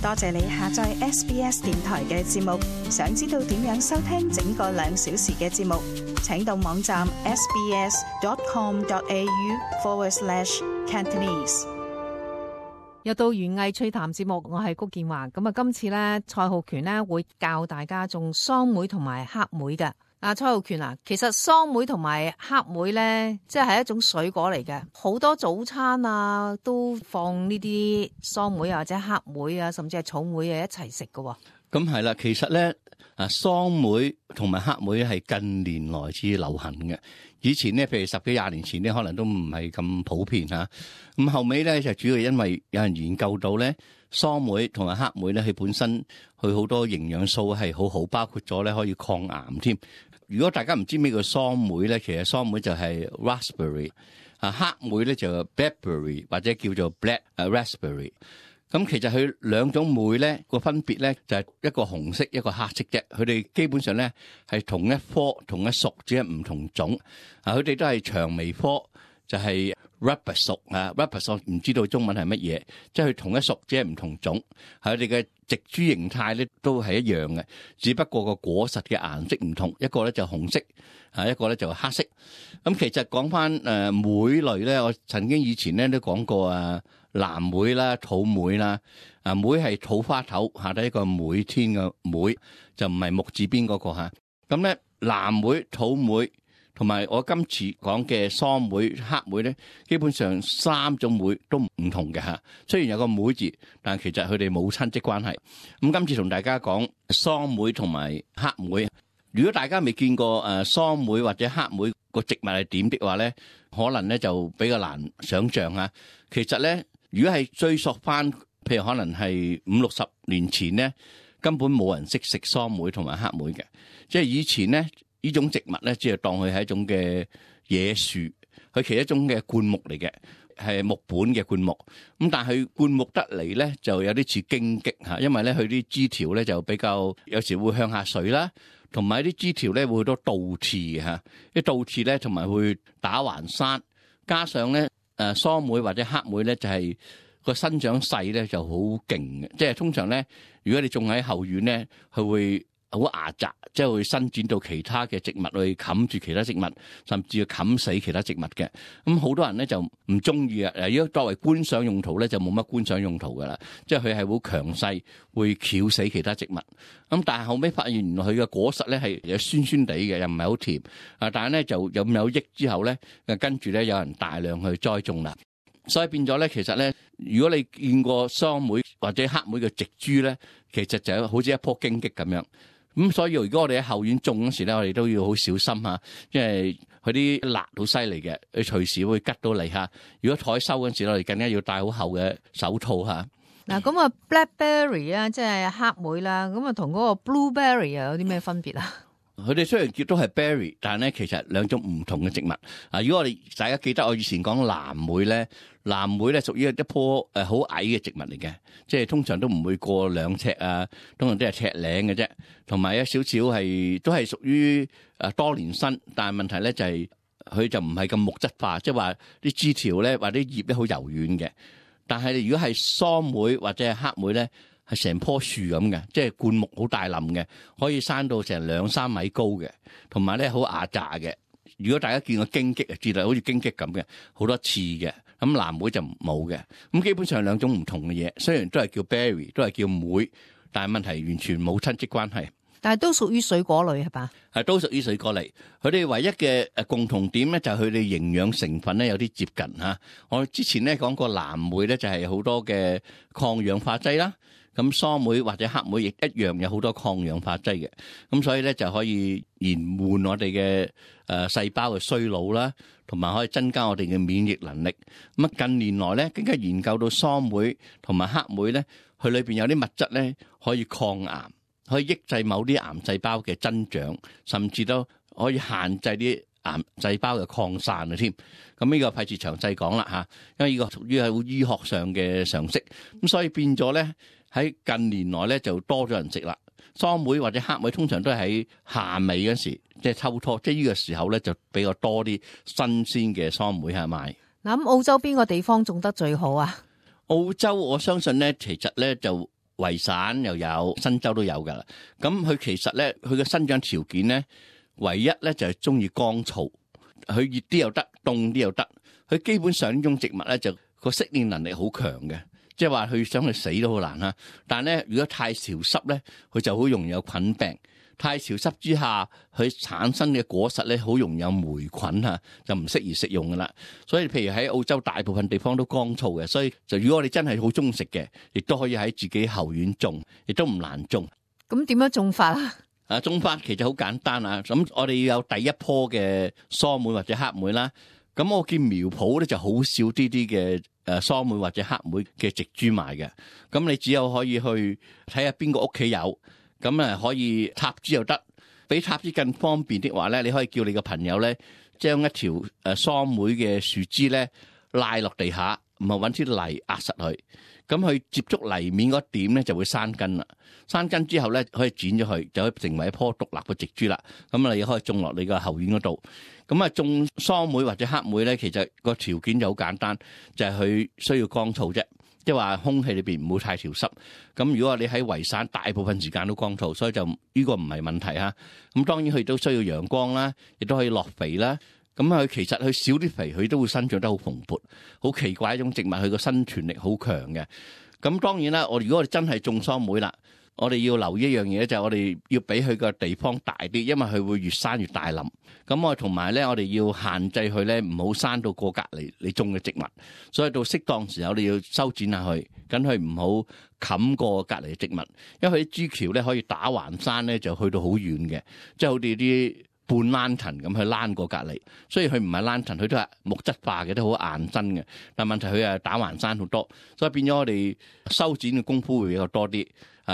多謝你下載 SBS 電台嘅節目。想知道點樣收聽整個2小時嘅節目，請到網站 sbs.com.au/Cantonese。又到園藝趣談節目，我係谷建華。咁啊，今次咧蔡浩權咧會教大家種桑梅同埋黑莓嘅。蔡浩權啊，其實桑梅同埋黑莓咧，即係一種水果嚟嘅，好多早餐啊都放呢啲桑梅啊或者黑莓啊，甚至係草莓啊一齊食嘅。咁係啦，其實咧桑梅同埋黑莓係近年來至流行嘅。以前咧，譬如10幾20年前咧，可能都唔係咁普遍嚇。咁後尾咧就主要因為有人研究到咧，桑梅同埋黑莓咧，佢本身佢好多營養素係好好，包括咗咧可以抗癌添。如果大家唔知咩叫桑梅咧，其實桑梅就係 raspberry， 黑莓咧就 blackberry 或者叫做 black raspberry。咁其實佢兩種莓咧個分別咧就係一個紅色一個黑色啫，佢哋基本上咧係同一科同一屬，只係唔同種。佢哋都係薔薇科，就係 rubus 屬，rubus 屬唔知道中文係乜嘢，即係佢同一屬只係唔同種。佢哋嘅植株形態咧都係一樣嘅，只不過個果實嘅顏色唔同，一個咧就紅色，一個咧就黑色。咁其實講翻莓類咧，我曾經以前咧都講過藍莓啦、土莓啦，莓係土花頭下底一個每天嘅莓，就唔係木字邊嗰個吓。咁咧藍莓、土莓同埋我今次講嘅桑莓、黑莓咧，基本上3種莓都唔同嘅吓。雖然有個莓字，但係其實佢哋冇親戚關係。咁今次同大家講桑莓同埋黑莓。如果大家未見過桑梅或者黑莓個植物係點的話咧，可能咧就比較難想像吓。其實咧，如果係追溯翻，譬如可能係50-60年前咧，根本冇人識食桑梅同埋黑莓嘅。即係以前咧，呢種植物咧，只係當佢係一種嘅野樹，佢其實一種嘅灌木嚟嘅，係木本嘅灌木。咁但係佢灌木得嚟咧，就有啲似荊棘吓，因為咧佢啲枝條咧就比較有時會向下垂啦。同埋啲枝條咧會好多倒刺嚇，啲倒刺咧同埋會打橫生，加上咧桑梅或者黑莓咧就係個生長勢咧就好勁嘅，即係通常咧如果你種喺後院咧，佢會好牙雜，即係會伸展到其他嘅植物去冚住其他植物，甚至要冚死其他植物嘅。咁好多人咧就唔中意啊！如果作為觀賞用途咧，就冇乜觀賞用途噶啦。即係佢係好強勢，會翹死其他植物。咁但係後尾發現原來佢嘅果實咧係有酸酸地嘅，又唔係好甜。但係咧就有益之後咧，跟住咧有人大量去栽種啦。所以變咗咧，其實咧，如果你見過桑梅或者黑莓嘅植株咧，其實就好似一棵荊棘咁樣。咁所以如果我哋喺後院種嗰時咧，我哋都要好小心吓，因為佢啲辣好犀利嘅，佢隨時會吉到你吓。如果採收嗰時咧，我哋更加要戴好厚嘅手套吓。嗱，咁啊 blackberry 啊，即係黑莓啦，咁啊同嗰個 blueberry 啊有啲咩分別啊？佢哋雖然叫都係 berry， 但係咧其實兩種唔同嘅植物。如果我哋大家記得我以前講藍莓咧，藍莓咧屬於一棵好矮嘅植物嚟嘅，即係通常都唔會過2尺啊，通常都係尺零嘅啫。同埋一少少係都係屬於多年生，但係問題咧就係佢就唔係咁木質化，即係話啲枝條咧或者葉咧好柔軟嘅。但係如果係桑莓或者係黑莓咧，係成棵樹咁嘅，即係灌木好大林嘅，可以生到成2-3米高嘅，同埋咧好壓榨嘅。如果大家見過荊棘啊，知道好似荊棘咁嘅，好多刺嘅。咁藍莓就冇嘅。咁基本上兩種唔同嘅嘢，雖然都係叫 berry， 都係叫莓，但係問題完全冇親戚關係。但係都屬於水果類係吧？係都屬於水果類。佢哋唯一嘅共同點咧，就係佢哋營養成分咧有啲接近嚇。我之前咧講過藍莓咧就係好多嘅抗氧化劑啦。咁桑莓或者黑莓亦一樣有好多抗氧化劑嘅，咁所以咧就可以延緩我哋嘅細胞嘅衰老啦，同埋可以增加我哋嘅免疫能力。咁啊近年來咧更加研究到桑莓同埋黑莓咧，佢裏邊有啲物質咧可以抗癌，可以抑制某啲癌細胞嘅增長，甚至都可以限制啲癌細胞嘅擴散啊添。咁呢個費事詳細講啦嚇，因為呢個屬於係醫學上嘅常識，咁所以變咗咧。喺近年來咧就多咗人食啦，桑莓或者黑莓通常都係喺夏尾嗰時，即係秋初，即係呢個時候咧就比較多啲新鮮嘅桑莓係賣。嗱，咁澳洲邊個地方種得最好啊？澳洲我相信咧，其實咧就維省又有，新州都有噶啦。咁佢其實咧，佢嘅生長條件咧，唯一咧就係中意乾燥，佢熱啲又得，凍啲又得。佢基本上呢種植物咧就個適應能力好強嘅，即係話佢想去死都好難啦。但係咧，如果太潮濕咧，佢就好容易有菌病。太潮濕之下，佢產生嘅果實咧，好容易有霉菌嚇，就唔適宜食用噶啦。所以譬如喺澳洲大部分地方都乾燥嘅，所以就如果我哋真係好中意食嘅，亦都可以喺自己後院種，亦都唔難種。咁點樣種法啊？種法其實好簡單啊。咁我哋要有第一棵嘅桑梅或者黑莓啦。咁我見苗圃咧就好少啲嘅桑梅或者黑莓嘅植株賣嘅。咁你只有可以去睇下邊個屋企有。咁可以插枝又得，比插枝更方便的話咧，你可以叫你個朋友咧，將一條桑梅嘅樹枝咧拉落地下，唔係揾啲泥壓實佢，咁佢接觸泥面嗰點咧就會生根啦。生根之後咧可以剪咗佢，就可以成為一棵獨立嘅植株啦。咁你可以種落你個後院嗰度。咁種桑梅或者黑莓咧，其實個條件就好簡單，就係佢需要乾燥啫。即係話空氣裏邊唔會太潮濕，咁如果你喺維省大部分時間都乾燥，所以就呢個唔係問題嚇。咁當然佢都需要陽光啦，亦都可以落肥啦。咁佢其實佢少啲肥，佢都會生長得好蓬勃。好奇怪一種植物，佢個生存力好強嘅。咁當然啦，如果我哋真係種桑梅啦，我哋要留意一樣嘢，就係我哋要俾佢個地方大啲，因為佢會越生越大林。咁我同埋咧，我哋要限制佢咧，唔好生到過隔離你種嘅植物。所以到適當時候，你要修剪下佢，等佢唔好冚過隔離嘅植物。因為佢啲枝橋咧可以打橫山咧，就去到好遠嘅，即係好似啲半欄藤咁去欄過隔離。所以佢唔係欄藤，佢都係木質化嘅，都好硬身嘅。但問題佢係打橫山好多，所以變咗我哋修剪嘅功夫會比較多啲。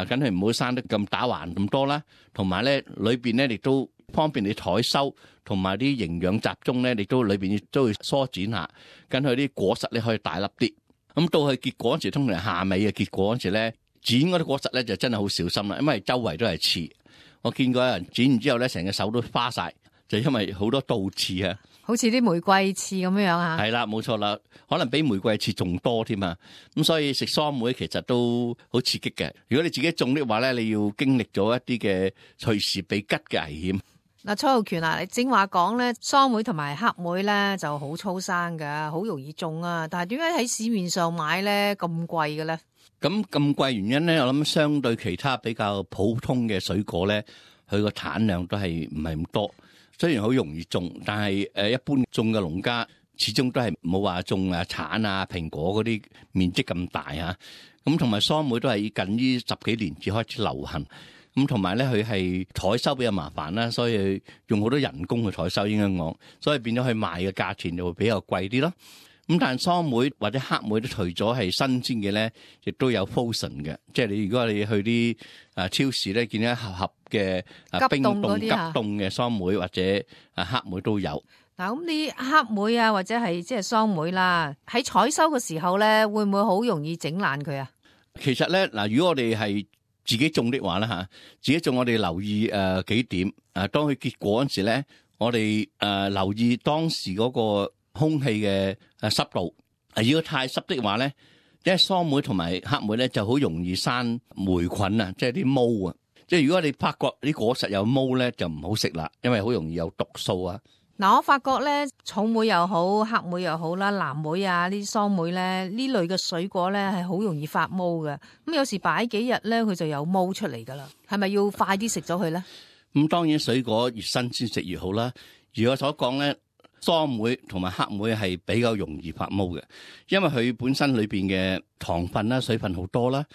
梗係唔好生得咁打橫咁多啦，同埋咧裏邊咧亦都方便你採收，同埋啲營養集中咧，亦都裏邊都要疏剪下，跟佢啲果實咧可以大粒啲。咁到佢結果嗰時，通常夏尾嘅結果嗰時咧，剪嗰啲果實咧就真係好小心啦，因為周圍都係刺。我見過有人剪完之後咧，成隻手都花晒，就因為好多倒刺啊。好似啲玫瑰刺咁樣啊？係啦，冇錯啦，可能比玫瑰刺仲多添啊！咁所以食桑梅其實都好刺激嘅。如果你自己種的話咧，你要經歷咗一啲嘅隨時被吉嘅危險。嗱，蔡浩權啊，你正話講咧，桑梅同埋黑莓咧就好粗生噶，好容易種啊。但係點解喺市面上買咧咁貴嘅咧？咁貴原因咧，我諗相對其他比較普通嘅水果咧，佢個產量都係唔係咁多。雖然好容易種，但係一般種嘅農家始終都係冇話種橙啊、蘋果嗰啲面積咁大嚇。咁同埋桑梅都係近於10幾年至開始流行。咁同埋咧，佢係採收比較麻煩啦，所以用好多人工去採收應該講，所以變咗佢賣嘅價錢就會比較貴啲咯。咁但係桑梅或者黑莓都除咗係新鮮嘅咧，亦都有 frozen 嘅，即係你如果你去啲超市咧，見到一盒盒嘅冰凍急凍嘅桑梅或者黑莓都有。嗱，咁啲黑莓啊或者係即係桑梅啦，喺採收嘅時候咧，會唔會好容易整爛佢啊？其實咧嗱，如果我哋係自己種的話咧嚇，自己種我哋留意幾點當佢結果嗰時咧，我哋留意當時嗰個空氣嘅濕度。如果太濕的話咧，因為桑梅同埋黑莓咧就好容易生霉菌啊，即係啲毛啊。即係如果你發覺啲果實有毛咧，就唔好食啦，因為好容易有毒素啊。嗱，我發覺咧，草莓又好，黑莓又好啦，藍莓啊，呢啲桑莓咧，呢類嘅水果咧係好容易發毛嘅。咁有時擺幾日咧，佢就有毛出嚟噶啦。係咪要快啲食咗佢咧？咁當然水果越新鮮食越好啦。如我所講咧，桑梅同埋黑莓係比較容易發毛嘅，因為佢本身裏邊嘅糖分啦、水分好多啦，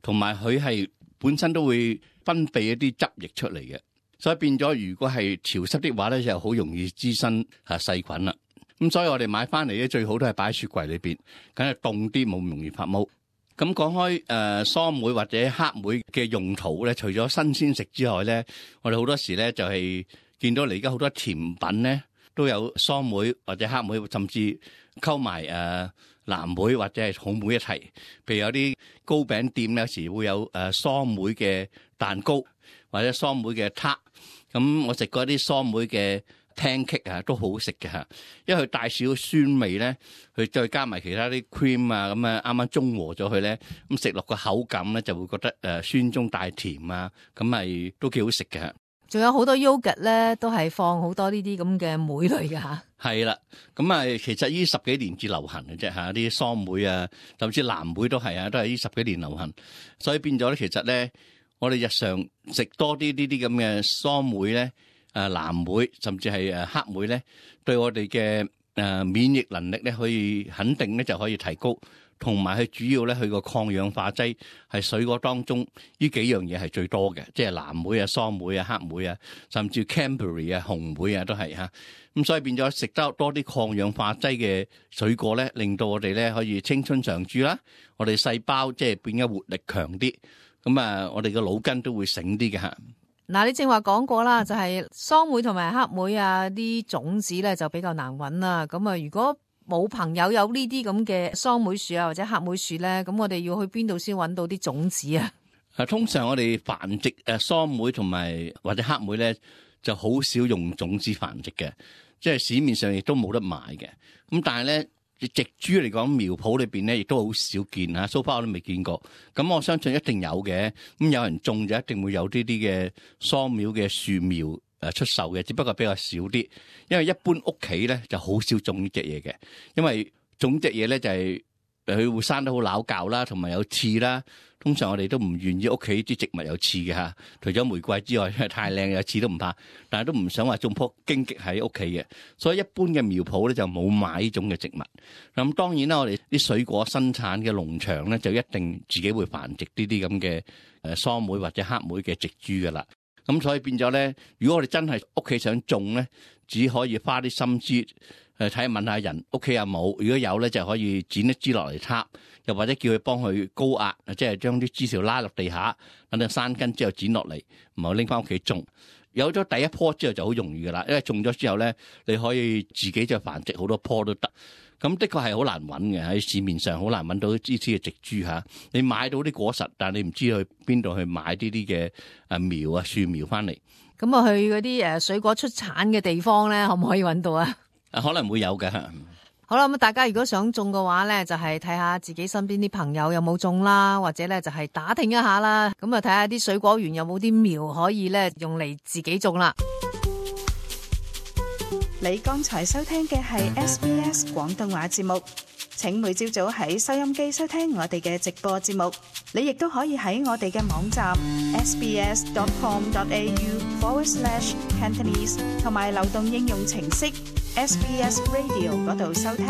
同埋佢係本身都會分泌一啲汁液出嚟嘅。所以變咗，如果係潮濕的話咧，就好容易滋生細菌啦。咁所以我哋買翻嚟咧，最好都係擺喺雪櫃裏邊，梗係凍啲，冇咁容易發毛。咁講開桑梅或者黑莓嘅用途咧，除咗新鮮食之外咧，我哋好多時咧就係見到而家好多甜品咧都有桑梅或者黑莓，甚至溝埋藍莓或者係草莓一齊。譬如有啲糕餅店有時會有桑梅嘅蛋糕或者桑梅嘅撻。咁我食過啲桑梅嘅 pancake 啊，都好食嘅嚇，因為佢帶少少酸味咧，佢再加埋其他啲 cream 啊，咁啊啱啱中和咗佢咧，咁食落個口感咧就會覺得酸中帶甜啊，咁係都幾好食嘅。仲有好多 yogurt 咧，都係放好多呢啲咁嘅莓類嘅嚇。係啦，咁啊其實呢10幾年至流行嘅啫嚇，啲桑莓啊，甚至藍莓都係啊，都係呢10幾年流行，所以變咗咧，其實咧我哋日常食多啲呢啲咁嘅桑莓咧。藍莓甚至係黑莓咧，對我哋嘅免疫能力咧，可以肯定咧就可以提高，同埋佢主要咧佢個抗氧化劑係水果當中呢幾樣嘢係最多嘅，即係藍莓啊、桑莓啊、黑莓啊，甚至 Cranberry 啊、紅莓啊都係嚇。咁所以變咗食得多啲抗氧化劑嘅水果咧，令到我哋咧可以青春常駐啦，我哋細胞即係變咗活力強啲，咁啊我哋嘅腦筋都會醒啲嘅嚇。嗱，你正話講過啦，就係桑莓同埋黑莓啊，啲種子咧就比較難揾啦。咁啊，如果冇朋友有呢啲咁嘅桑莓樹啊或者黑莓樹咧，咁我哋要去邊度先揾到啲種子啊？通常我哋繁殖桑莓同埋或者黑莓咧，就好少用種子繁殖嘅，即係市面上亦都冇得賣嘅。咁但係咧，植株嚟講，苗圃裏邊咧，亦都好少見嚇，so far我都未見過。咁我相信一定有嘅。咁有人種就一定會有呢啲嘅桑苗嘅樹苗出售嘅，只不過比較少啲。因為一般屋企咧就好少種呢隻嘢嘅，因為種隻嘢咧就係佢會生得好拗教啦，同埋有刺啦。通常我哋都唔願意屋企啲植物有刺嘅嚇，除咗玫瑰之外，因為太靚有刺都唔怕，但係都唔想話種棵荊棘喺屋企嘅，所以一般嘅苗圃咧就冇買呢種嘅植物。咁當然啦，我哋啲水果生產嘅農場咧就一定自己會繁殖呢啲咁嘅桑莓或者黑莓嘅植株噶啦。咁所以變咗咧，如果我哋真係屋企想種咧，只可以花啲心思睇下問下人屋企有冇，如果有咧就可以剪一枝落嚟插，又或者叫佢幫佢高壓，即係將啲枝條拉落地下，等佢生根之後剪落嚟，唔好拎翻屋企種。有咗第一棵之後就好容易噶啦，因為種咗之後咧，你可以自己就繁殖好多棵都得。咁的確係好難揾嘅，喺市面上好難揾到呢啲嘅植株嚇。你買到啲果實，但係你唔知去邊度去買呢啲嘅苗啊樹苗翻嚟。咁啊，去嗰啲水果出產嘅地方咧，可唔可以揾到啊？可能會有嘅。好啦，咁大家如果想種嘅話咧，就係睇下自己身邊啲朋友有冇種啦，或者咧就係打聽一下啦。咁啊，睇下啲水果園有冇啲苗可以咧用嚟自己種啦。你剛才收聽嘅係 SBS 廣東話節目，請每朝早喺收音機收聽我哋嘅直播節目。你亦都可以喺我哋嘅網站 sbs.com.au/Cantonese 同埋流動應用程式 SBS Radio 嗰度收聽。